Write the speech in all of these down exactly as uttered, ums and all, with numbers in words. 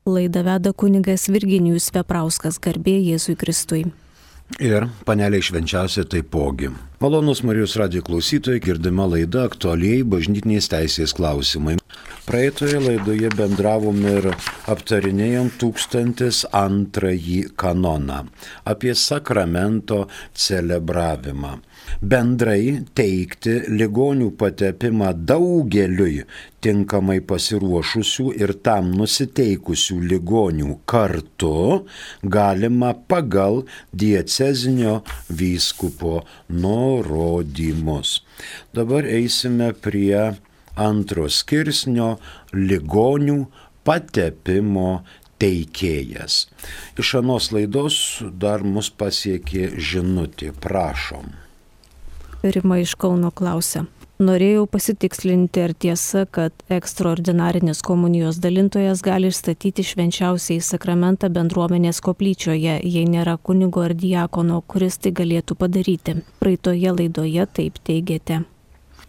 Laidą veda kunigas Virginijus Veprauskas, garbė Jėzui Kristui. Ir paneliai švenčiausia taipogi. Malonus Marijos radijo klausytojai, girdima laida aktualiai bažnytinės teisės klausimai. Praeitoje laidoje bendravom ir aptarinėjom tūkstantis antrąjį kanoną apie sakramento celebravimą. Bendrai teikti ligonių patepimą daugeliui tinkamai pasiruošusių ir tam nusiteikusių ligonių kartu galima pagal diecezinio vyskupo nurodymus. Dabar eisime prie antro skirsnio ligonių patepimo teikėjas. Iš anos laidos dar mus pasiekė žinutė, prašom. Rima iš Kauno klausia. Norėjau pasitikslinti, ar tiesa, kad ekstraordinarinis komunijos dalintojas gali išstatyti švenčiausiai sakramentą bendruomenės koplyčioje, jei nėra kunigo ar diakono, kuris tai galėtų padaryti. Praeitoje laidoje taip teigėte.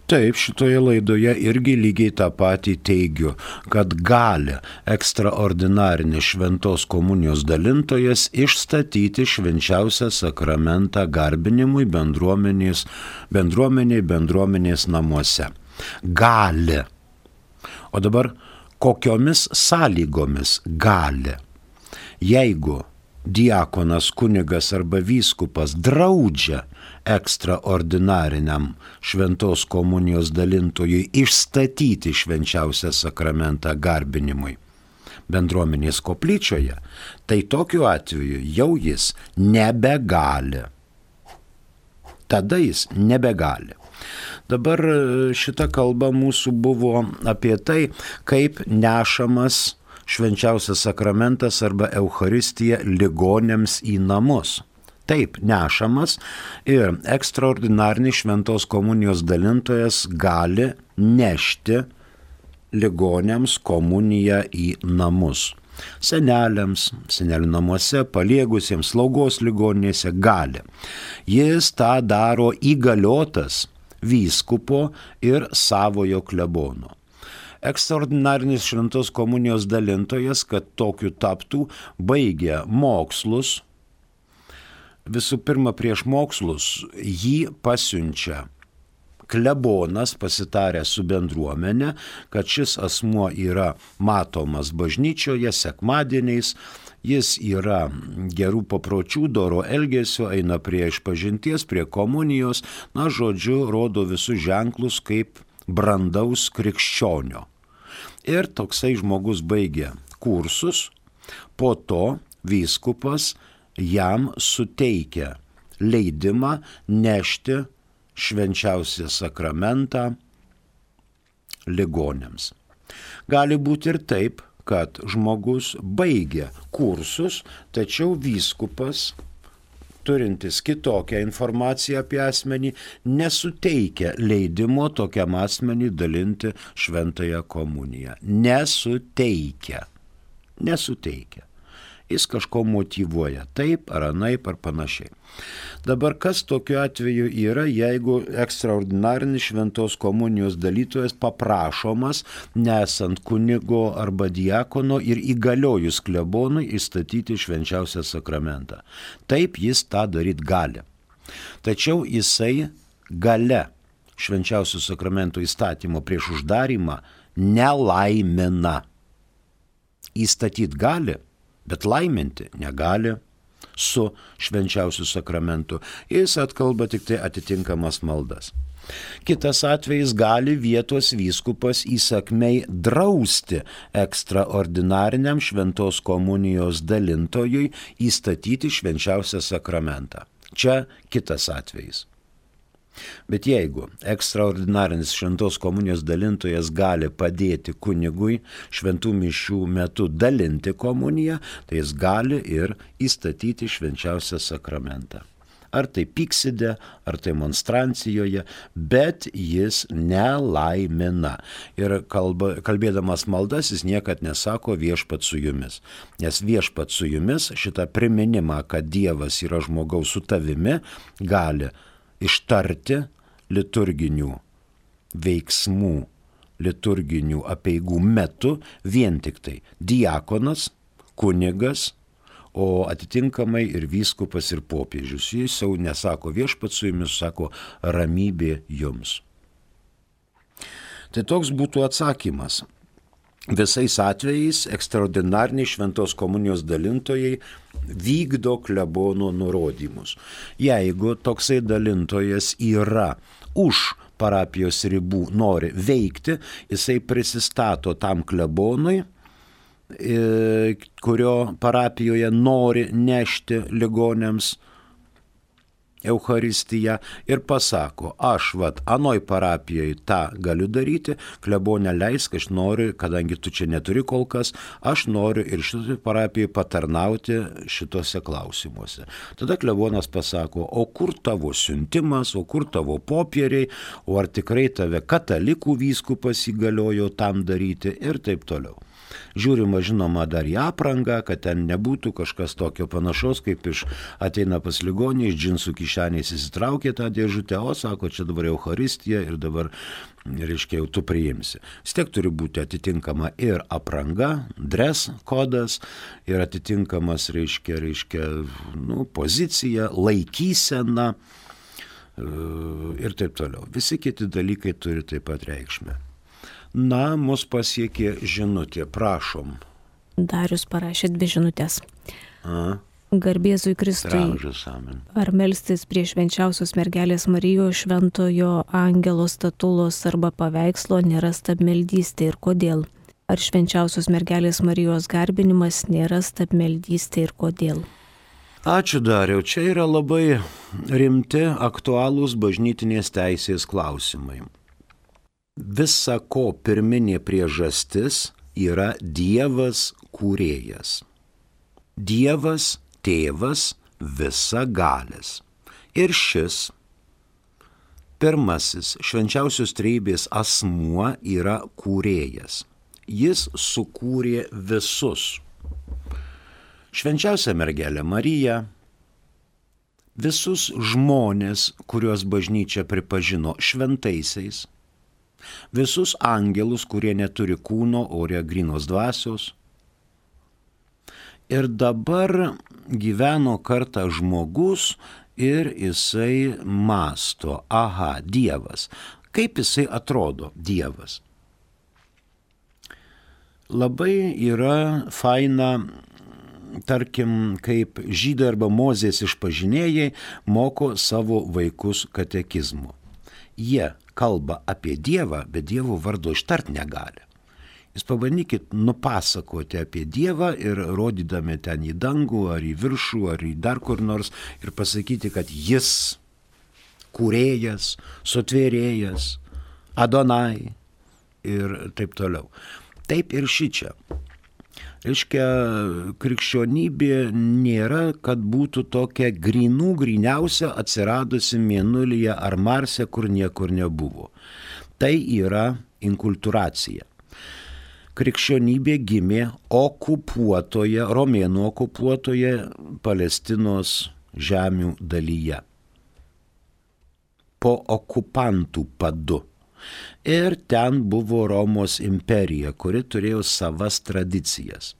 Taip, šitoje laidoje irgi lygiai tą patį teigiu, kad gali ekstraordinarinis šventos komunijos dalintojas išstatyti švenčiausią sakramentą garbinimui bendruomenės, bendruomeniai bendruomenės namuose. Gali. O dabar kokiomis sąlygomis gali? Jeigu diakonas, kunigas arba vyskupas draudžia ekstraordinariniam šventos komunijos dalintojui išstatyti švenčiausią sakramentą garbinimui bendruomenės koplyčioje, tai tokiu atveju jau jis nebegali. Tada jis nebegali. Dabar šita kalba mūsų buvo apie tai, kaip nešamas švenčiausias sakramentas arba Eucharistija ligoniams į namus. Taip, nešamas ir ekstraordinarinis šventos komunijos dalintojas gali nešti ligoniams komuniją į namus. Seneliams, senelių namuose, paliegusiems, slaugos ligoninėse gali. Jis tą daro įgaliotas vyskupo ir savojo klebono. Ekstraordinarinis šventos komunijos dalintojas, kad tokiu taptų, baigia mokslus. Visų pirma, prieš mokslus jį pasiunčia klebonas, pasitaręs su bendruomenė, kad šis asmuo yra matomas bažnyčioje sekmadieniais, jis yra gerų papročių, doro elgesio, eina prie išpažinties, prie komunijos, na, žodžiu, rodo visus ženklus kaip brandaus krikščionio. Ir toksai žmogus baigia kursus, po to vyskupas jam suteikia leidimą nešti švenčiausią sakramentą ligoniams. Gali būti ir taip, kad žmogus baigia kursus, tačiau vyskupas, turintis kitokią informaciją apie asmenį, nesuteikia leidimo tokiam asmenį dalinti šventąją komuniją. Nesuteikia. Nesuteikia. Jis kažko motyvuoja, taip ar anaip ar panašiai. Dabar kas tokiu atveju yra, jeigu ekstraordinarinis šventos komunijos dalytojas paprašomas, nesant kunigo arba diakono ir įgaliojus klebonui įstatyti švenčiausią sakramentą. Taip jis tą daryti gali. Tačiau jisai gale švenčiausio sakramento įstatymo prieš uždarimą nelaimina. Įstatyti gali, bet laiminti negali su švenčiausiu sakramentu. Jis atkalba tik tai atitinkamas maldas. Kitas atvejis, gali vietos vyskupas įsakmiai drausti ekstraordinariniam šventos komunijos dalintojui įstatyti švenčiausią sakramentą. Čia kitas atvejis. Bet jeigu ekstraordinarinis šventos komunijos dalintojas gali padėti kunigui šventų mišių metu dalinti komuniją, tai jis gali ir įstatyti švenčiausią sakramentą. Ar tai pykside, ar tai monstrancijoje, bet jis nelaimina. Ir kalba, kalbėdamas maldas jis niekad nesako viešpat su jumis. Nes viešpat su jumis šitą priminimą, kad Dievas yra žmogaus su tavimi, gali ištarti liturginių veiksmų, liturginių apeigų metu vien tik tai diakonas, kunigas, o atitinkamai ir vyskupas ir popiežius. Jis jau nesako viešpats su jumis, sako ramybė jums. Tai toks būtų atsakymas. Visais atvejais ekstraordinariniai šventos komunijos dalintojai vykdo klebono nurodymus. Jeigu toksai dalintojas yra už parapijos ribų, nori veikti, jisai prisistato tam klebonui, kurio parapijoje nori nešti ligoniams Eucharistiją ir pasako, aš vat anoj parapijoje tą galiu daryti, klebonė leisk, aš noriu, kadangi tu čia neturi kol kas, aš noriu ir šitoj parapijoje patarnauti šitose klausimuose. Tada klebonas pasako, o kur tavo siuntimas, o kur tavo popieriai, o ar tikrai tave katalikų vyskupas įgaliojo tam daryti ir taip toliau. Žiūrima, žinoma, dar į aprangą, kad ten nebūtų kažkas tokio panašaus, kaip iš ateina pas ligonį, iš džinsų kišenės įsitraukė tą dėžutę, o sako, čia dabar Eucharistija ir dabar, reiškia, jau tu priimsi. Vis tiek turi būti atitinkama ir apranga, dress kodas, ir atitinkamas, reiškia, reiškia, nu, pozicija, laikysena ir taip toliau. Visi kiti dalykai turi taip pat reikšmę. Na, mus pasiekė žinutė, prašom. Darius parašė dvi žinutės. A? Garbėzui Kristui. Ramžas, amen. Ar melstis prie švenčiausios mergelės Marijos šventojo angelo statulos arba paveikslo nėra stabmeldystė ir kodėl? Ar švenčiausios mergelės Marijos garbinimas nėra stabmeldystė ir kodėl? Ačiū, Dariau. Čia yra labai rimti, aktualūs bažnytinės teisės klausimai. Visa ko pirminė priežastis yra Dievas kūrėjas. Dievas tėvas visagalis. Ir šis pirmasis švenčiausios trejybės asmuo yra kūrėjas. Jis sukūrė visus. Švenčiausia mergelė Marija, visus žmonės, kuriuos bažnyčia pripažino šventaisiais, visus angelus, kurie neturi kūno, o yra grynos dvasios. Ir dabar gyveno kartą žmogus ir jisai mąsto, aha, Dievas. Kaip jisai atrodo, Dievas? Labai yra faina, tarkim, kaip žydai arba Mozės išpažinėjai moko savo vaikus katekizmu. Jie kalba apie Dievą, bet Dievo vardo ištart negali. Jūs pabandykit nupasakoti apie Dievą ir rodydami ten į dangų, ar į viršų, ar į dar kur nors ir pasakyti, kad jis kūrėjas, sutvėrėjas, Adonai ir taip toliau. Taip ir šičia. Reiškia, krikščionybė nėra, kad būtų tokia grynų gryniausia atsiradusi Mėnulyje ar Marse, kur niekur nebuvo. Tai yra inkulturacija. Krikščionybė gimė okupuotoje, romėnų okupuotoje Palestinos žemių dalyje. Po okupantų padu. Ir ten buvo Romos imperija, kuri turėjo savas tradicijas.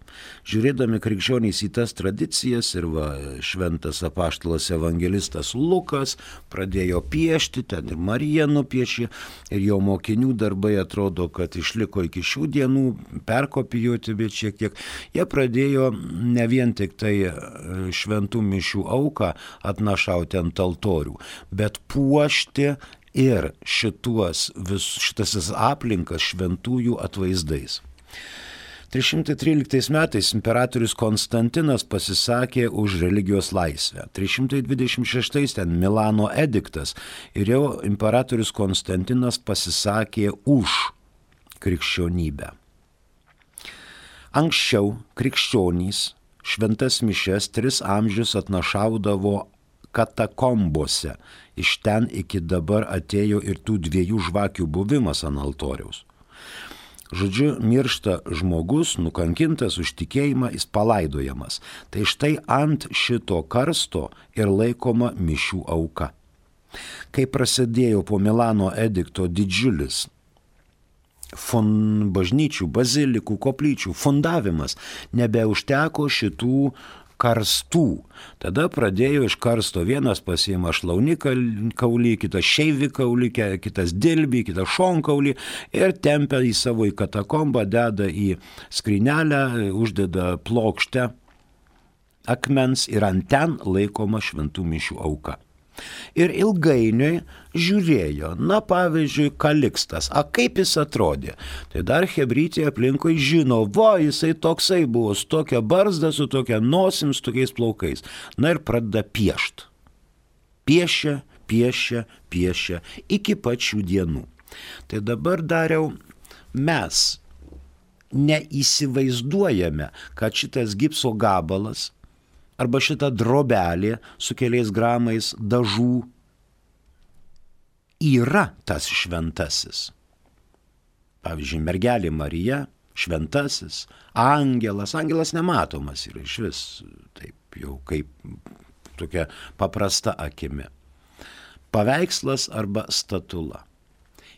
Žiūrėdami krikščionys į tas tradicijas ir va, šventas apaštalas evangelistas Lukas pradėjo piešti, ten ir Marija nupiešė, ir jo mokinių darbai atrodo, kad išliko iki šių dienų, perkopijuoti, bet šiek tiek. Jie pradėjo ne vien tik tai šventų mišių auką atnašauti ant altorių, bet puošti ir šituos, vis, šitas aplinkas šventųjų atvaizdais. trys šimtai tryliktais metais imperatorius Konstantinas pasisakė už religijos laisvę. trys šimtai dvidešimt šeštais ten Milano ediktas ir jau imperatorius Konstantinas pasisakė už krikščionybę. Anksčiau krikščionys šventas mišias tris amžius atnašaudavo katakombose. Iš ten iki dabar atėjo ir tų dviejų žvakių buvimas ant altoriaus. Žodžiu, miršta žmogus, nukankintas už tikėjimą, jis palaidojamas. Tai štai ant šito karsto ir laikoma mišių auka. Kai prasidėjo po Milano edikto didžiulis fun, bažnyčių, bazilikų, koplyčių fundavimas. Nebeužteko šitų karstų. Tada pradėjo iš karsto, vienas pasiima šlaunikaulį, kitas šeivikaulį, kitas dilbį, kitas šonkaulį ir tempia į savo į katakombą, deda į skrynelę, uždeda plokštę akmens ir ant ten laikoma šventų mišių auka. Ir ilgainiui žiūrėjo, na pavyzdžiui, Kalikstas, a kaip jis atrodė. Tai dar chebrytė aplinkui žino, va, jisai toksai buvo, su tokia barzda, su tokia nosim, su tokiais plaukais. Na ir pradeda piešt. Piešia, piešia, piešia iki pačių dienų. Tai dabar dariau, mes neįsivaizduojame, kad šitas gipso gabalas arba šita drobelė su keliais gramais dažų yra tas šventasis. Pavyzdžiui, mergelė Marija, šventasis, angelas, angelas nematomas yra iš vis, taip jau kaip tokia paprasta akimi. Paveikslas arba statula.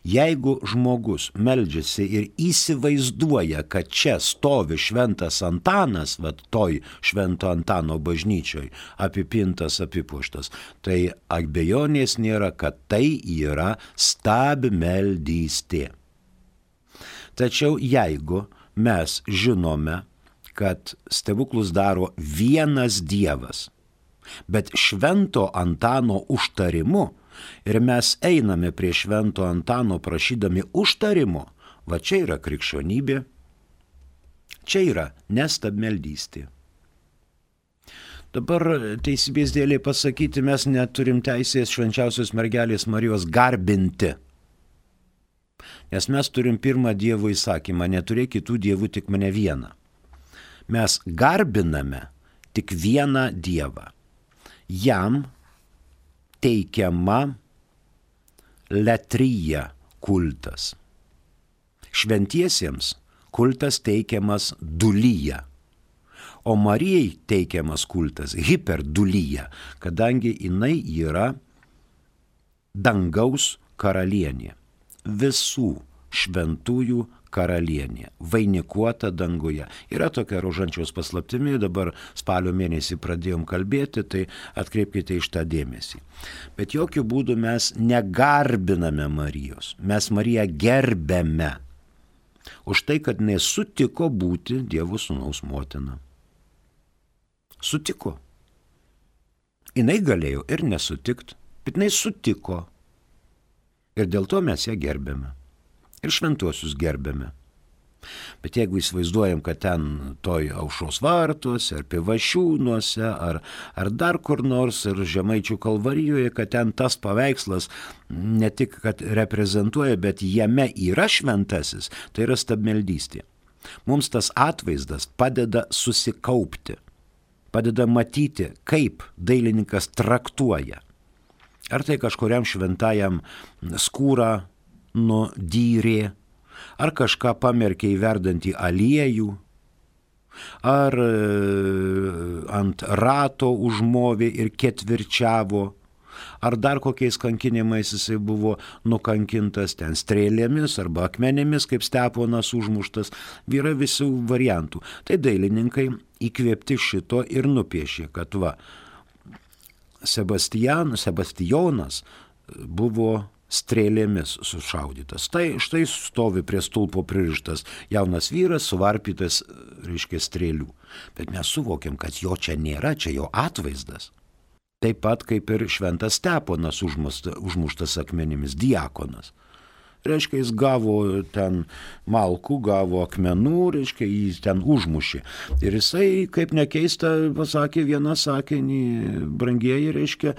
Jeigu žmogus meldžiasi ir įsivaizduoja, kad čia stovi šventas Antanas, vat toj švento Antano bažnyčioj, apipintas, apipuoštas, tai abejonės nėra, kad tai yra stabmeldystė. Tačiau jeigu mes žinome, kad stebuklus daro vienas Dievas, bet švento Antano užtarimu, ir mes einame prie švento Antano prašydami užtarimo, va čia yra krikščionybė, čia yra nestabmeldystė. Dabar teisybės dėlei pasakyti, mes neturim teisės švenčiausios mergelės Marijos garbinti. Nes mes turim pirmą Dievo įsakymą, neturėk kitų dievų, tik mane vieną. Mes garbiname tik vieną Dievą. Jam teikiama letryja kultas. Šventiesiems kultas teikiamas dulyja, o Marijai teikiamas kultas hiperdulyja, kadangi jinai yra dangaus karalienė, visų šventųjų karalienė, vainikuota danguje. Yra tokia rožančiaus paslaptimi, dabar spalio mėnesį pradėjom kalbėti, tai atkreipkite iš tą dėmesį. Bet jokių būdų mes negarbiname Marijos, mes Mariją gerbėme už tai, kad nesutiko būti Dievo sūnaus motina. Sutiko. Jinai galėjo ir nesutikt, bet jinai sutiko. Ir dėl to mes ją gerbėme. Ir šventuosius gerbėme. Bet jeigu įsivaizduojam, kad ten toj Aušros vartuose, ar Pivašiūnuose, ar, ar dar kur nors, ar Žemaičių kalvarijoje, kad ten tas paveikslas ne tik, kad reprezentuoja, bet jame yra šventasis, tai yra stabmeldystė. Mums tas atvaizdas padeda susikaupti, padeda matyti, kaip dailininkas traktuoja. Ar tai kažkuriam šventajam skūrą nudyrė, ar kažką pamerkė į verdantį aliejų, ar ant rato užmovė ir ketvirčiavo, ar dar kokiais kankinimais jisai buvo nukankintas, ten strėlėmis arba akmenėmis, kaip Steponas užmuštas, yra visų variantų. Tai dailininkai įkvėpti šito ir nupiešė, kad va, Sebastian, Sebastijonas buvo strėlėmis sušaudytas. Tai štai stovi prie stulpo pririštas jaunas vyras, suvarpytas, reiškia, strėlių. Bet mes suvokiam, kad jo čia nėra, čia jo atvaizdas. Taip pat kaip ir šventas Steponas užmuštas, užmuštas akmenimis, diakonas. Reiškia, jis gavo ten malkų, gavo akmenų, reiškia, jis ten užmušė. Ir jisai, kaip nekeista, pasakė vieną sakinį, brangieji, reiškia,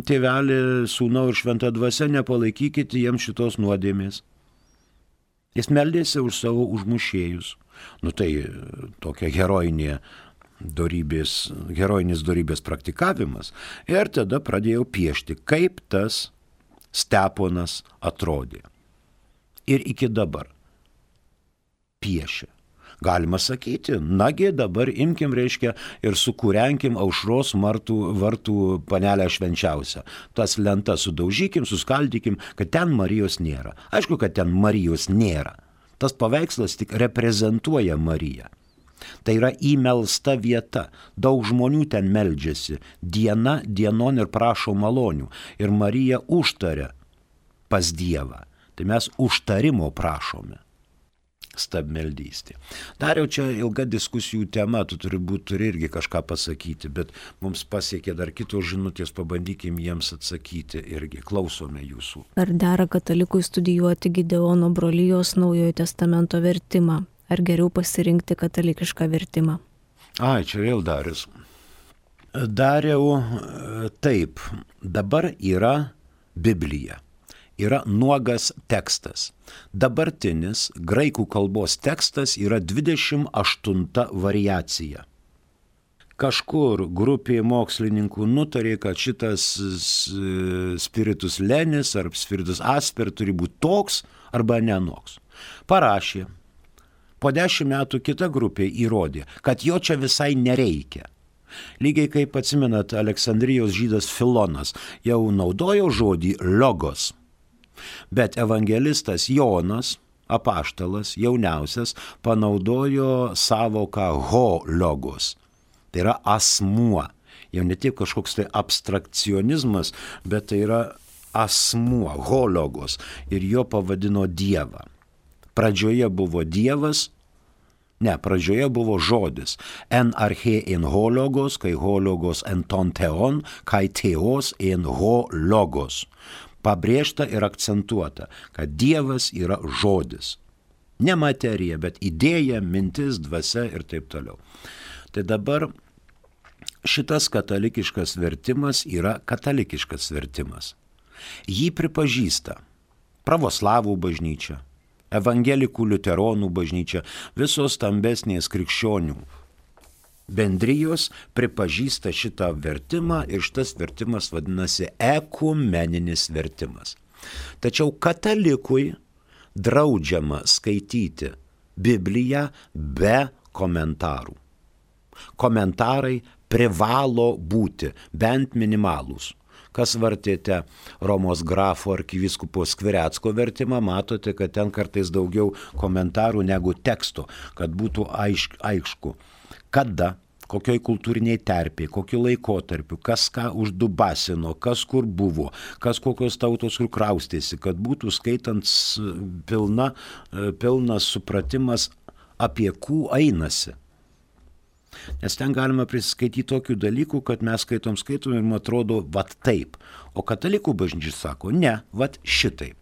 tėvelį, sūnau ir šventą dvasią, nepalaikykite jiems šitos nuodėmės. Jis meldėsi už savo užmušėjus. Nu tai tokia herojinė dorybės, herojinis dorybės praktikavimas. Ir tada pradėjau piešti, kaip tas Steponas atrodė. Ir iki dabar piešia. Galima sakyti, nagi dabar imkim, reiškia, ir sukūrenkim Aušros martų, vartų panelę švenčiausią. Tas lentas sudaužykim, suskaldykim, kad ten Marijos nėra. Aišku, kad ten Marijos nėra. Tas paveikslas tik reprezentuoja Mariją. Tai yra įmelsta vieta. Daug žmonių ten meldžiasi. Diena dienon ir prašo malonių. Ir Marija užtaria pas Dievą. Tai mes užtarimo prašome. Stabmeldystė. Dar jau čia ilga diskusijų tema, tu turi būti, turi irgi kažką pasakyti, bet mums pasiekė dar kitos žinutės, pabandykim jiems atsakyti irgi. Klausome jūsų. Ar dera katalikui studijuoti Gideono brolijos Naujojo testamento vertimą? Ar geriau pasirinkti katalikišką vertimą? Ai, čia vėl Darius. Dariau, taip, dabar yra Biblija. Yra nuogas tekstas. Dabartinis graikų kalbos tekstas yra dvidešimt aštunta variacija. Kažkur grupė mokslininkų nutarė, kad šitas spiritus lenis ar spiritus asper turi būti toks arba nenoks. Parašė. Po dešimt metų kita grupė įrodė, kad jo čia visai nereikia. Lygiai kaip atsimenat, Aleksandrijos žydas Filonas jau naudojo žodį logos. Bet evangelistas Jonas, apaštalas, jauniausias, panaudojo savoką ho logos. Tai yra asmuo. Jau ne tik kažkoks tai abstrakcionizmas, bet tai yra asmuo, ho logos. Ir jo pavadino Dievą. Pradžioje buvo Dievas, ne, pradžioje buvo žodis. En arche en ho logos, kai ho logos en ton teon, kai teos en ho logos. Pabrėžta ir akcentuota, kad Dievas yra žodis. Ne materija, bet idėja, mintis, dvasia ir taip toliau. Tai dabar šitas katalikiškas vertimas yra katalikiškas vertimas. Jį pripažįsta pravoslavų bažnyčia, evangelikų liuteronų bažnyčia, visos stambesnės krikščionių bendrijos pripažįsta šitą vertimą ir šitas vertimas vadinasi ekumeninis vertimas. Tačiau katalikui draudžiama skaityti Bibliją be komentarų. Komentarai privalo būti bent minimalūs. Kas vartėte Romos grafo arkivyskupo Skvirecko vertimą, matote, kad ten kartais daugiau komentarų negu teksto, kad būtų aišk, aišku, kada, kokioj kultūriniai terpėje, kokiu laikotarpiu, kas ką uždubasino, kas kur buvo, kas kokios tautos kur kraustėsi, kad būtų skaitant pilna, pilnas supratimas, apie kų einasi. Nes ten galima prisiskaityti tokių dalykų, kad mes skaitom skaitom ir man atrodo, vat taip. O katalikų bažnyčia sako, ne, vat šitaip.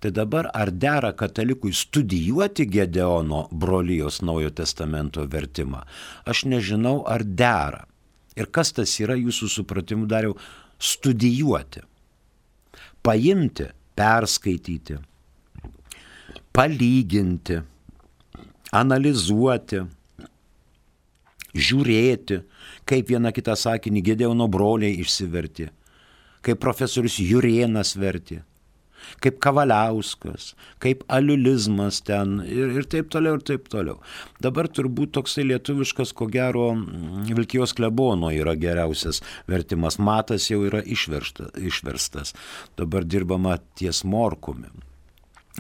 Tai dabar ar dera katalikui studijuoti Gideono brolijos Naujojo testamento vertimą? Aš nežinau, ar dera. Ir kas tas yra jūsų supratimu, Dariau, studijuoti? Paimti, perskaityti, palyginti, analizuoti, žiūrėti, kaip vieną kitą sakinį Gideono broliai išsivertė, kaip profesorius Jurėnas vertė, kaip Kavaliauskas, kaip aliulizmas ten ir, ir taip toliau, ir taip toliau. Dabar turbūt toksai lietuviškas, ko gero, Vilkijos klebono yra geriausias vertimas. Matas jau yra išversta, išverstas. Dabar dirbama ties Morkumi.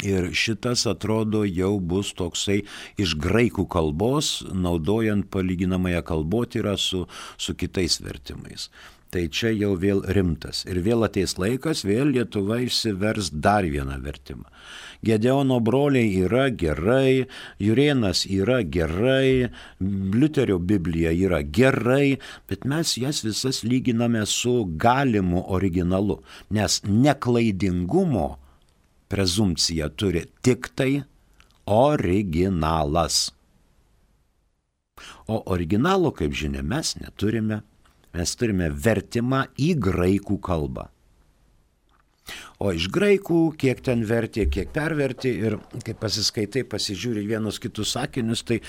Ir šitas, atrodo, jau bus toksai iš graikų kalbos, naudojant palyginamąją kalbotyrą su, su kitais vertimais. Tai čia jau vėl rimtas. Ir vėl ateis laikas, vėl Lietuva išsivers dar vieną vertimą. Gideono broliai yra gerai, Jurėnas yra gerai, Liuterio Biblija yra gerai, bet mes jas visas lyginame su galimu originalu, nes neklaidingumo prezumpcija turi tik tai originalas. O originalo, kaip žinia, mes neturime. Mes turime vertimą į graikų kalbą. O iš graikų, kiek ten vertė, kiek pervertė ir kai pasiskaitai, pasižiūri vienus kitus sakinius, tai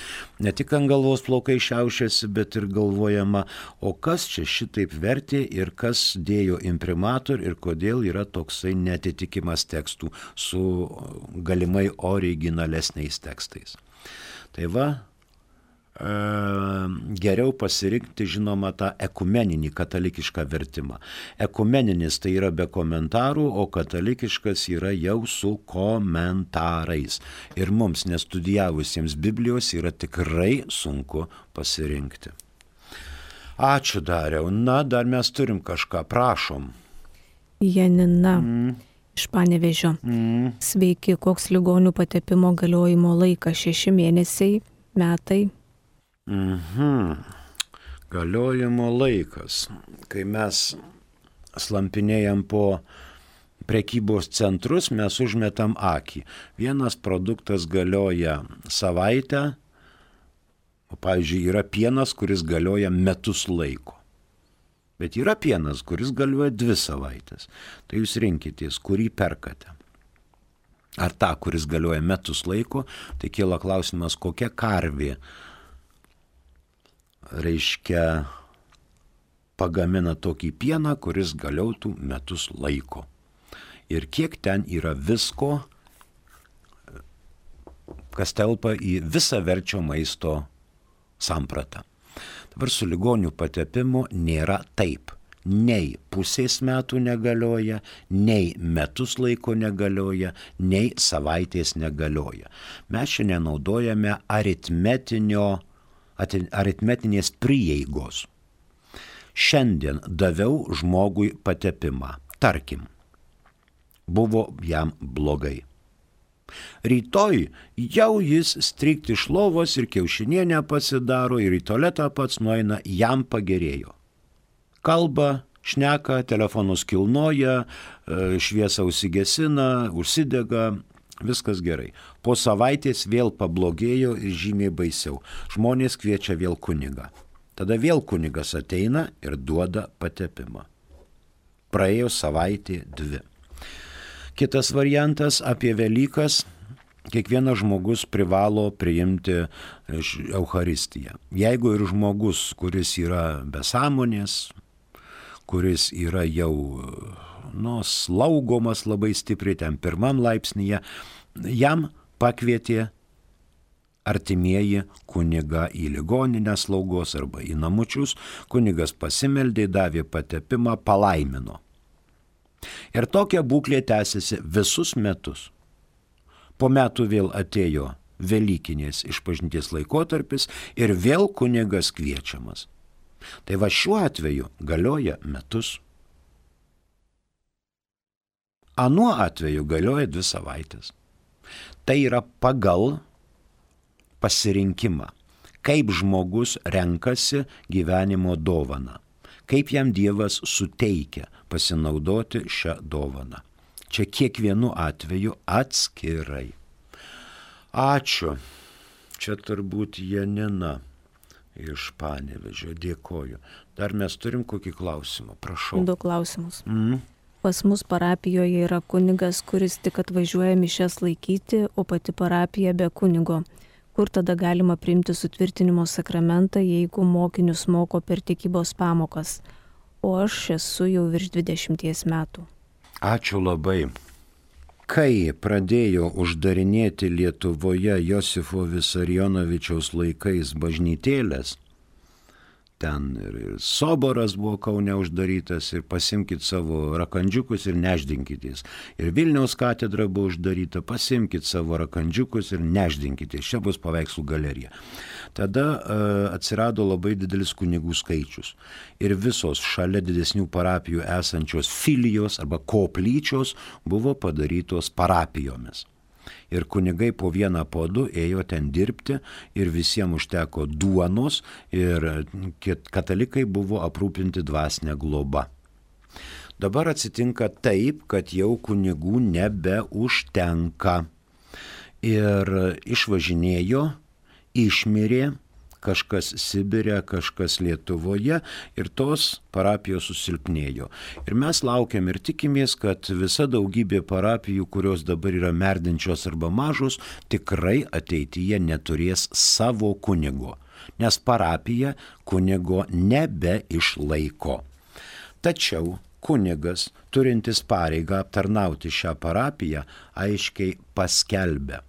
ne tik ant galvos plaukai šiaušiasi, bet ir galvojama, o kas čia šitaip vertė ir kas dėjo imprimatur ir kodėl yra toksai netitikimas tekstų su galimai originalesniais tekstais. Tai va, geriau pasirinkti, žinoma, tą ekumeninį katalikišką vertimą. Ekumeninis tai yra be komentarų, o katalikiškas yra jau su komentarais. Ir mums, nestudijavusiems Biblijos, yra tikrai sunku pasirinkti. Ačiū, Dariau. Na, dar mes turim kažką, prašom. Janina mm. iš Panevėžio. Mm. Sveiki, koks ligonių patepimo galiojimo laikas? Šeši mėnesiai, metai? Mhm. Galiojimo laikas. Kai mes slampinėjam po prekybos centrus, mes užmetam akį. Vienas produktas galioja savaitę, o pavyzdžiui, yra pienas, kuris galioja metus laiko. Bet yra pienas, kuris galioja dvi savaitės. Tai jūs rinkitės, kurį perkate. Ar tą, kuris galioja metus laiko, tai kyla klausimas, kokia karvė, reiškia, pagamina tokį pieną, kuris galiotų metus laiko. Ir kiek ten yra visko, kas telpa į visaverčio maisto sampratą. Dabar su ligonių patepimu nėra taip. Nei pusės metų negalioja, nei metus laiko negalioja, nei savaitės negalioja. Mes šiandien naudojame aritmetinio, aritmetinės prieigos. Šiandien daviau žmogui patepimą. Tarkim, buvo jam blogai. Rytoj jau jis strikti iš lovos ir kiaušinienę pasidaro ir į tualetą pats nueina, jam pagerėjo. Kalba, šneka, telefonus kilnoja, šviesą užsigesina, užsidega, viskas gerai. Po savaitės vėl pablogėjo ir žymiai baisiau. Žmonės kviečia vėl kunigą. Tada vėl kunigas ateina ir duoda patepimą. Praėjo savaitė dvi. Kitas variantas apie Velykas. Kiekvienas žmogus privalo priimti Eucharistiją. Jeigu ir žmogus, kuris yra be sąmonės, kuris yra jau nu, slaugomas labai stipriai ten pirmam laipsnyje, jam pakvietė artimieji kunigą į ligoninę slaugos arba į namučius, kunigas pasimeldė, davė patepimą, palaimino. Ir tokia būklė tęsiasi visus metus. Po metų vėl atėjo Velykinės išpažinties laikotarpis ir vėl kunigas kviečiamas. Tai va šiuo atveju galioja metus. Anuo atveju galioja dvi savaitės. Tai yra pagal pasirinkimą, kaip žmogus renkasi gyvenimo dovaną, kaip jam Dievas suteikia pasinaudoti šią dovaną. Čia kiekvienu atveju atskirai. Ačiū. Čia turbūt Janina iš Panevėžio. Dėkoju. Dar mes turim kokį klausimą. Prašau. Du klausimus. Mm. Pas mus parapijoje yra kunigas, kuris tik atvažiuoja mišias laikyti, o pati parapija be kunigo. Kur tada galima priimti sutvirtinimo sakramentą, jeigu mokinius moko per tikybos pamokas? O aš esu jau virš dvidešimties metų. Ačiū labai. Kai pradėjo uždarinėti Lietuvoje Josifo Visarionovičiaus laikais bažnytėlės, ten ir, ir Soboras buvo Kaune uždarytas, ir pasimkit savo rakandžiukus ir neždinkitės. Ir Vilniaus katedra buvo uždaryta, pasimkit savo rakandžiukus ir neždinkitės. Čia bus paveikslų galerija. Tada uh, atsirado labai didelis kunigų skaičius. Ir visos šalia didesnių parapijų esančios filijos arba koplyčios buvo padarytos parapijomis. Ir kunigai po vieną po du ėjo ten dirbti ir visiems užteko duonos ir katalikai buvo aprūpinti dvasinę globą. Dabar atsitinka taip, kad jau kunigų nebeužtenka. Ir išvažinėjo, išmirė, kažkas Sibire, kažkas Lietuvoje ir tos parapijos susilpnėjo. Ir mes laukiam ir tikimės, kad visa daugybė parapijų, kurios dabar yra merdinčios arba mažos, tikrai ateityje neturės savo kunigo, nes parapija kunigo nebeišlaiko. Tačiau kunigas, turintis pareigą aptarnauti šią parapiją, aiškiai paskelbia,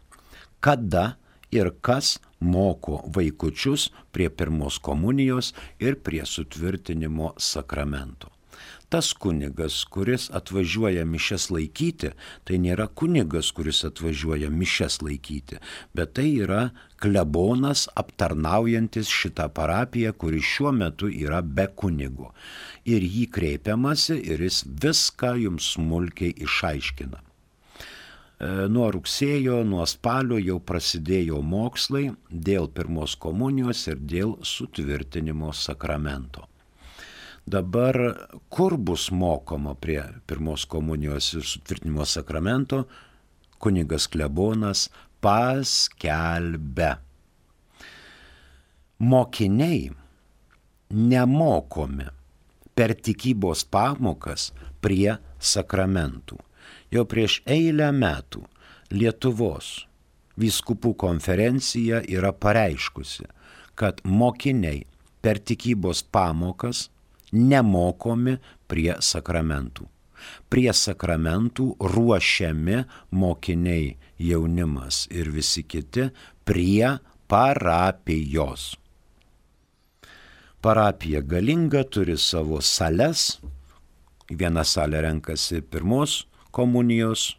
kada ir kas moko vaikučius prie pirmos komunijos ir prie sutvirtinimo sakramento. Tas kunigas, kuris atvažiuoja mišias laikyti, tai nėra kunigas, kuris atvažiuoja mišias laikyti, bet tai yra klebonas aptarnaujantis šitą parapiją, kuri šiuo metu yra be kunigo. Ir jį kreipiamasi ir jis viską jums smulkiai išaiškina. Nuo rugsėjo, nuo spalio jau prasidėjo mokslai dėl pirmos komunijos ir dėl sutvirtinimo sakramento. Dabar kur bus mokoma prie pirmos komunijos ir sutvirtinimo sakramento, kunigas klebonas paskelbia. Mokiniai nemokomi per tikybos pamokas prie sakramentų. Jau prieš eilę metų Lietuvos vyskupų konferencija yra pareiškusi, kad mokiniai per tikybos pamokas nemokomi prie sakramentų. Prie sakramentų ruošiami mokiniai, jaunimas ir visi kiti prie parapijos. Parapija galinga, turi savo sales. Viena salė renkasi pirmos komunijos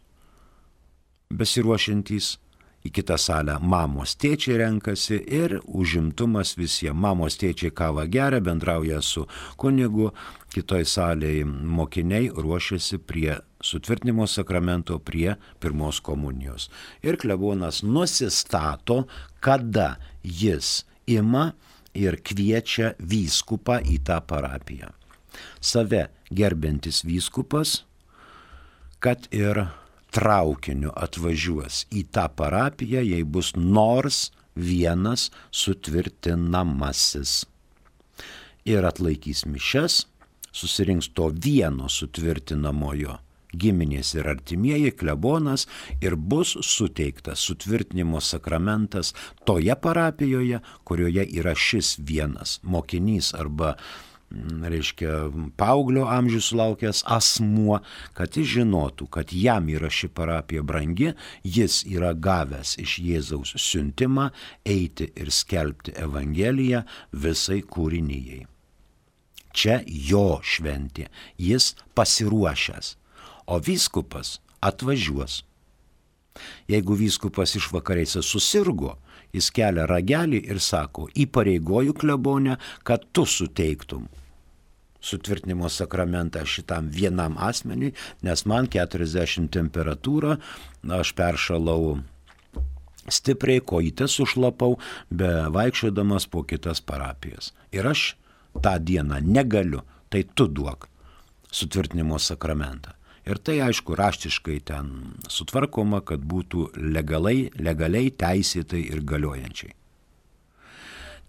besiruošiantys, į kitą salę mamos tėčiai renkasi ir užimtumas visiems. Mamos tėčiai kavą geria, bendrauja su kunigu, kitoj salėje mokiniai ruošiasi prie sutvirtinimo sakramento, prie pirmos komunijos. Ir klebonas nusistato, kada jis ima ir kviečia vyskupą į tą parapiją. Save gerbiantis vyskupas, kad ir traukiniu atvažiuos į tą parapiją, jei bus nors vienas sutvirtinamasis. Ir atlaikys mišias, susirinks to vieno sutvirtinamojo giminės ir artimieji, klebonas, ir bus suteiktas sutvirtinimo sakramentas toje parapijoje, kurioje yra šis vienas mokinys arba reiškia, paauglio amžių sulaukęs asmuo, kad jis žinotų, kad jam yra ši parapija brangi, jis yra gavęs iš Jėzaus siuntimą eiti ir skelbti Evangeliją visai kūrinijai. Čia jo šventė, jis pasiruošęs, o vyskupas atvažiuos. Jeigu vyskupas išvakarėse susirgo, jis kelia ragelį ir sako, įpareigoju klebonę, kad tu suteiktum sutvirtinimo sakramentą šitam vienam asmeniui, nes man keturiasdešimt temperatūra, aš peršalau stipriai, kojytes sušlapau, be vaikščiodamas po kitas parapijas. Ir aš tą dieną negaliu, tai tu duok sutvirtinimo sakramentą. Ir tai, aišku, raštiškai ten sutvarkoma, kad būtų legaliai, legaliai teisėtai ir galiojančiai.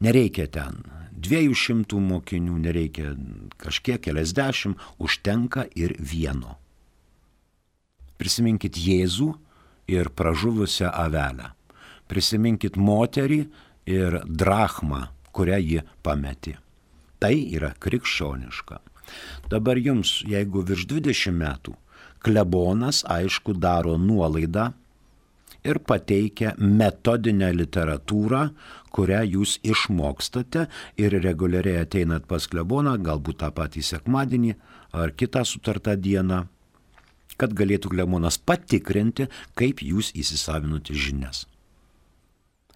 Nereikia ten dviejų šimtų mokinių, nereikia kažkiek keliasdešimt, užtenka ir vieno. Prisiminkit Jėzų ir pražuvusią avelę. Prisiminkit moterį ir drachmą, kurią ji pametė. Tai yra krikščioniška. Dabar jums, jeigu virš dvidešimt metų, klebonas, aišku, daro nuolaidą ir pateikia metodinę literatūrą, kurią jūs išmokstate ir reguliariai ateinat pas kleboną, galbūt tą patį sekmadienį ar kitą sutartą dieną, kad galėtų klebonas patikrinti, kaip jūs įsisavinote žinias.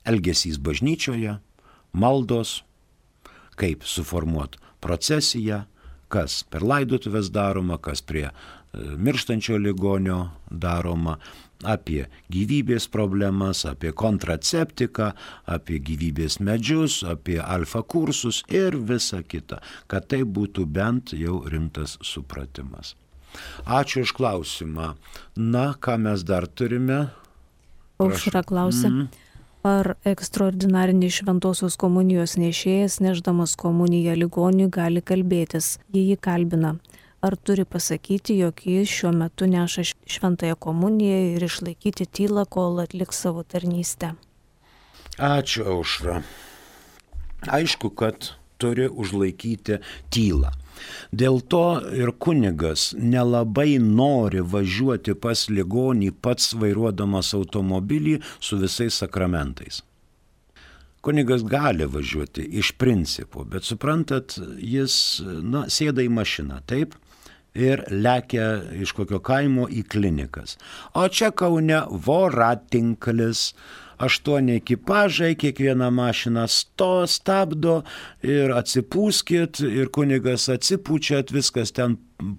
Elgesys bažnyčioje, maldos, kaip suformuot procesiją, kas per laidotuvės daroma, kas prie mirštančio ligonio daroma, apie gyvybės problemas, apie kontraceptiką, apie gyvybės medžius, apie alfa kursus ir visa kita, kad tai būtų bent jau rimtas supratimas. Ačiū už klausimą. Na, ką mes dar turime? Aušra klausia. Mm. Ar ekstraordinarinis šventosios komunijos nešėjas, nešdamas komuniją ligoniui, gali kalbėtis, jei jį kalbina? Ar turi pasakyti, jog jis šiuo metu neša šventąją komuniją ir išlaikyti tylą, kol atliks savo tarnystę? Ačiū, Aušra. Aišku, kad turi užlaikyti tylą. Dėl to ir kunigas nelabai nori važiuoti pas ligonį pats vairuodamas automobilį su visais sakramentais. Kunigas gali važiuoti iš principo, bet suprantat, jis, na, sėda į mašiną, taip, ir lekia iš kokio kaimo į klinikas. O čia Kaune voratinklis, aštuoni ekipažai, kiekviena mašina sto, stabdo ir atsipūskit, ir kunigas atsipūčiat, viskas ten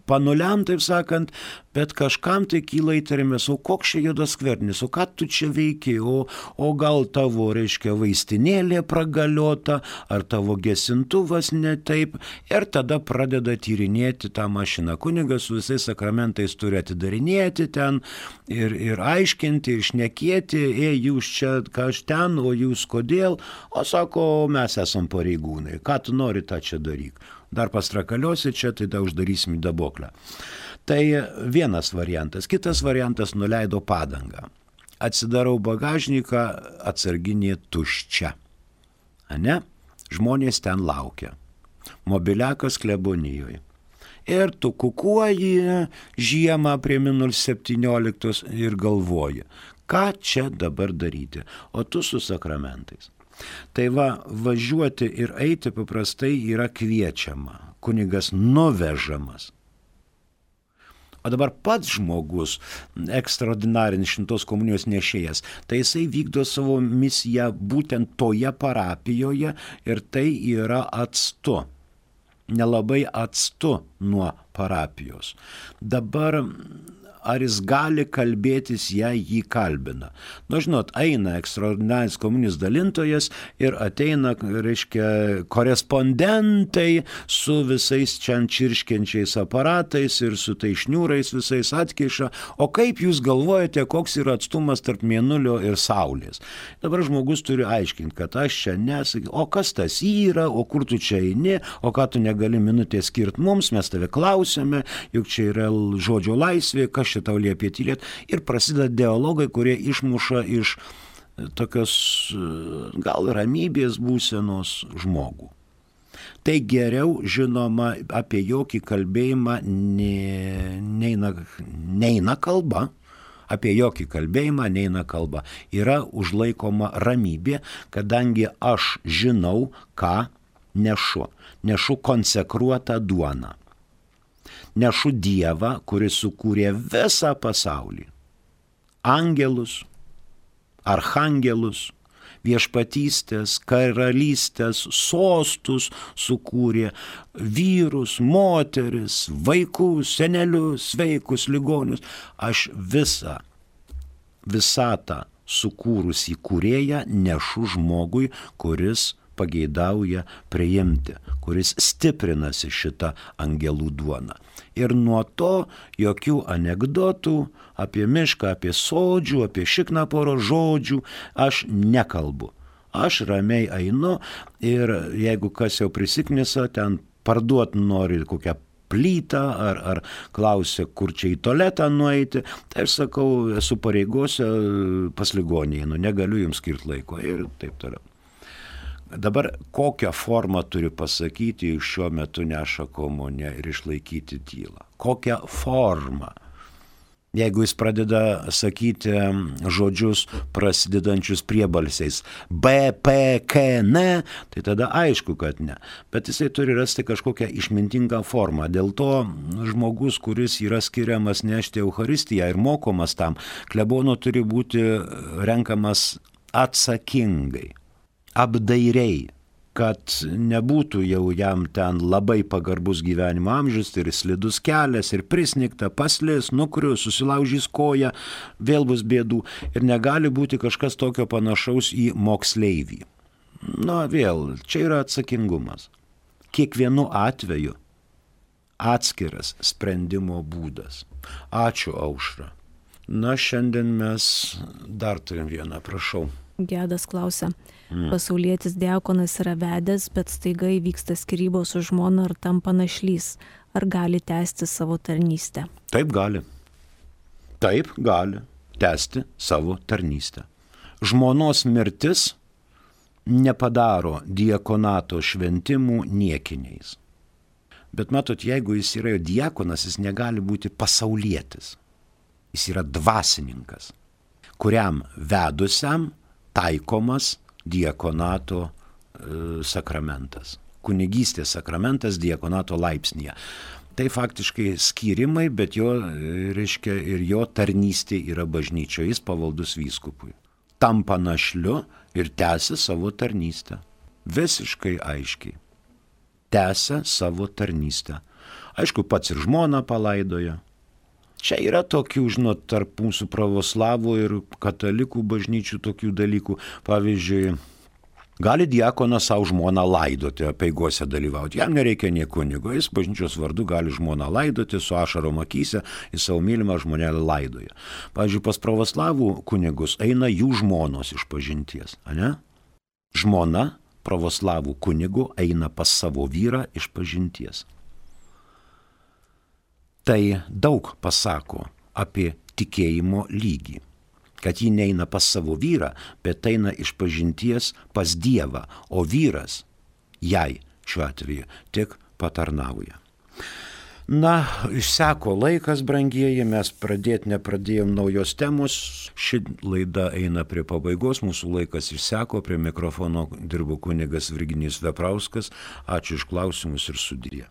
panuliam, taip sakant, bet kažkam tai kyla įtarimas, o koks čia juodas skvernis, o ką tu čia veiki, o, o gal tavo, reiškia, vaistinėlė pragaliota, ar tavo gesintuvas ne taip, ir tada pradeda tyrinėti tą mašiną. Kunigas su visais sakramentais turi atidarinėti ten ir, ir aiškinti, ir šnekėti, ei, jūs čia kaž ten, o jūs kodėl, o sako, mes esam pareigūnai, ką tu nori, tą čia daryk. Dar pastrakaliosi čia, tai da uždarysim į daboklę. Tai vienas variantas. Kitas variantas — nuleido padangą. Atsidarau bagažniką, atsarginė tuščia. Ane? Žmonės ten laukia. Mobiliakas klebonijoje. Ir tu kukuoji žiemą prie minus septynioliktos ir galvoji, ką čia dabar daryti, o tu su sakramentais. Tai va, važiuoti ir eiti paprastai yra kviečiama, kunigas nuvežamas. O dabar pats žmogus, ekstraordinarinis šventos komunijos nešėjas, tai jisai vykdo savo misiją būtent toje parapijoje ir tai yra atstu, nelabai atstu nuo parapijos. Dabar ar jis gali kalbėtis, jei jį kalbina. Nu, žinot, eina ekstraordinarinis komunijos dalintojas ir ateina, reiškia, korespondentai su visais čia čirškiančiais aparatais ir su tai šniūrais visais atkiša. O kaip jūs galvojate, koks yra atstumas tarp mėnulio ir saulės? Dabar žmogus turi aiškinti, kad aš čia nesakysiu, o kas tas yra, o kur tu čia eini, o ką tu negali minutės skirti mums, mes tave klausėme, juk čia yra žodžio laisvė, kas čia tau liepė tylėti, ir prasideda dialogai, kurie išmuša iš tokios gal ramybės būsenos žmogų. Tai geriau, žinoma, apie jokį kalbėjimą ne, neina, neina kalba, apie jokį kalbėjimą neina kalba. Yra užlaikoma ramybė, kadangi aš žinau, ką nešu. Nešu konsekruotą duoną. Nešu Dievą, kuris sukūrė visą pasaulį. Angelus, archangelus, viešpatystės, karalystės, sostus sukūrė, vyrus, moteris, vaikus, senelius, sveikus, ligonius. Aš visą, visatą sukūrusį kūrėją nešu žmogui, kuris pageidauja priimti, kuris stiprinasi šitą angelų duoną. Ir nuo to jokių anekdotų apie mišką, apie sodžių, apie šiknaporo žodžių aš nekalbu. Aš ramiai einu ir jeigu kas jau prisiknisa, ten parduot nori kokią plytą ar, ar klausia, kur čia į tualetą nueiti, tai aš sakau, esu pareigose pas ligonį, nu negaliu jums skirti laiko ir taip toliau. Dabar kokią formą turi pasakyti, šiuo metu neša komuniją ir išlaikyti tylą? Kokią formą? Jeigu jis pradeda sakyti žodžius prasidedančius priebalsiais B, P, K, N, tai tada aišku, kad ne. Bet jisai turi rasti kažkokią išmintingą formą. Dėl to žmogus, kuris yra skiriamas nešti Eucharistiją ir mokomas tam, klebono turi būti renkamas atsakingai, apdairiai, kad nebūtų jau jam ten labai pagarbus gyvenimo amžius, tai ir slidus kelias, ir prisnigta, paslis, nukrius, susilaužys koją, vėl bus bėdų. Ir negali būti kažkas tokio panašaus į moksleivį. Na vėl, čia yra atsakingumas. Kiekvienu atveju atskiras sprendimo būdas. Ačiū, Aušra. Na, šiandien mes dar turim vieną, prašau. Gedas klausia. Pasaulietis diakonas yra vedęs, bet staiga įvyksta skyrybos su žmona ar tampa našlys. Ar gali tęsti savo tarnystę? Taip gali. Taip gali tęsti savo tarnystę. Žmonos mirtis nepadaro diakonato šventimų niekiniais. Bet matot, jeigu jis yra diakonas, jis negali būti pasaulietis. Jis yra dvasininkas, kuriam vedusiam taikomas diakonato e, sakramentas. Kunigystės sakramentas diakonato laipsnėje. Tai faktiškai skyrimai, bet jo, reiškia, ir jo tarnystė yra bažnyčioje, jis pavaldus vyskupui. Tampa našliu ir tęsia savo tarnystę. Visiškai aiškiai. Tęsia savo tarnystę. Aišku, pats ir žmoną palaidoja. Čia yra tokių, žinot, tarp mūsų pravoslavų ir katalikų bažnyčių tokių dalykų. Pavyzdžiui, gali diakonas savo žmoną laidoti, apeigose dalyvauti. Jam nereikia nie kunigo, jis bažnyčios vardu gali žmoną laidoti, su ašarom akyse, į savo mylimą žmonelę laidoja. Pavyzdžiui, pas pravoslavų kunigus eina jų žmonos iš pažinties, ane? Žmona pravoslavų kunigų eina pas savo vyrą iš pažinties. Tai daug pasako apie tikėjimo lygį. Kad ji neina pas savo vyrą, bet eina iš pažinties pas Dievą, o vyras jai šiuo atveju tik patarnauja. Na, išseko laikas, brangieji, mes pradėti nepradėjom naujos temos. Ši laida eina prie pabaigos, mūsų laikas išseko, prie mikrofono dirbo kunigas Virginijus Veprauskas. Ačiū iš klausimus ir sudie.